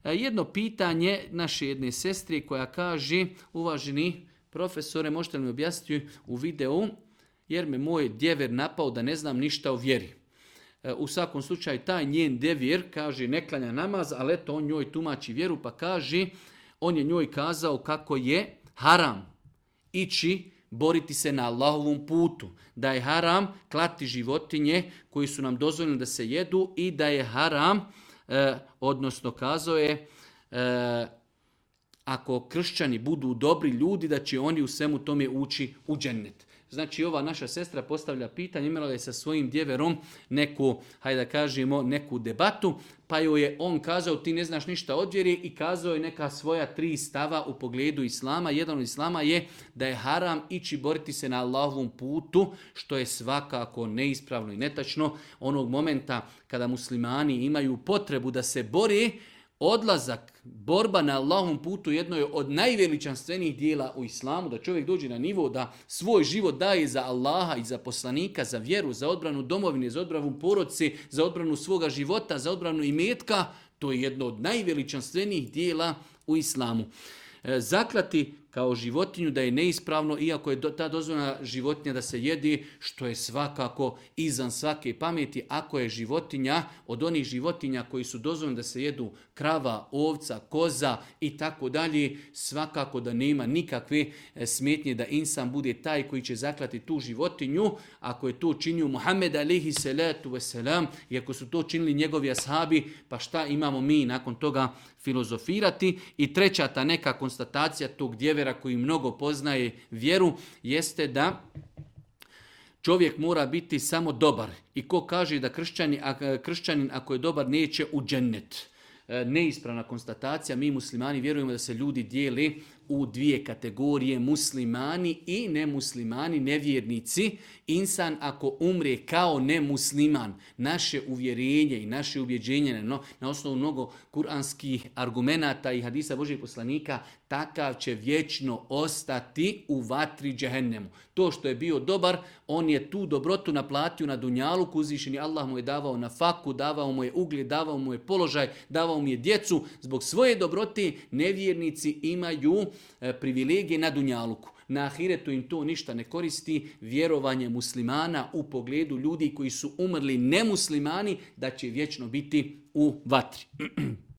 Jedno pitanje naše jedne sestre koja kaže, uvaženi profesore, možete li mi objasniti u videu, jer me moj djever napao da ne znam ništa o vjeri. U svakom slučaju taj njen devir kaže ne klanja namaz, ali eto on njoj tumači vjeru pa kaže, on je njoj kazao kako je haram ići boriti se na Allahovom putu, da je haram klati životinje koji su nam dozvoljeni da se jedu i da je haram, odnosno kazao je, ako kršćani budu dobri ljudi, da će oni u svemu tome ući u džennet. Znači ova naša sestra postavlja pitanje, imala je sa svojim djeverom neku, hajde da kažemo, neku debatu, pa joj je on kazao ti ne znaš ništa od vjeri i kazao je neka svoja 3 stava u pogledu islama. Jedan od islama je da je haram ići boriti se na Allahovom putu, što je svakako neispravno i netačno. Onog momenta kada muslimani imaju potrebu da se bore, odlazak, borba na Allahovom putu jedno je od najveličanstvenijih dijela u islamu, da čovjek dođe na nivo da svoj život daje za Allaha i za poslanika, za vjeru, za odbranu domovine, za odbranu porodice, za odbranu svoga života, za odbranu imetka, to je jedno od najveličanstvenijih dijela u islamu. Zaklati kao životinju da je neispravno, iako je ta dozvoljena životinja da se jedi, što je svakako izvan svake pameti, ako je životinja od onih životinja koji su dozvoljeni da se jedu krava, ovca, koza i tako dalje, svakako da nema nikakve smetnje da insan bude taj koji će zaklati tu životinju, ako je to činio Muhammed alejhi salatu vesselam i ako su to činili njegovi ashabi, pa šta imamo mi nakon toga filozofirati. I treća ta neka konstatacija tog djevera koji mnogo poznaje vjeru jeste da čovjek mora biti samo dobar. I ko kaže da kršćanin ako je dobar neće u džennet. Neispravna konstatacija, mi muslimani vjerujemo da se ljudi dijele u 2 kategorije, muslimani i nemuslimani, nevjernici. Insan ako umre kao nemusliman, naše uvjerenje i naše ubjeđenje na osnovu mnogo kuranskih argumenata i hadisa Božih poslanika, takav će vječno ostati u vatri džehennemu. To što je bio dobar, on je tu dobrotu naplatio na dunjaluku, uzvišeni Allah mu je davao na faku, davao mu je ugled, davao mu je položaj, davao mu je djecu. Zbog svoje dobrote nevjernici imaju privilegije na dunjaluku. Na ahiretu im to ništa ne koristi. Vjerovanje muslimana u pogledu ljudi koji su umrli nemuslimani da će vječno biti u vatri.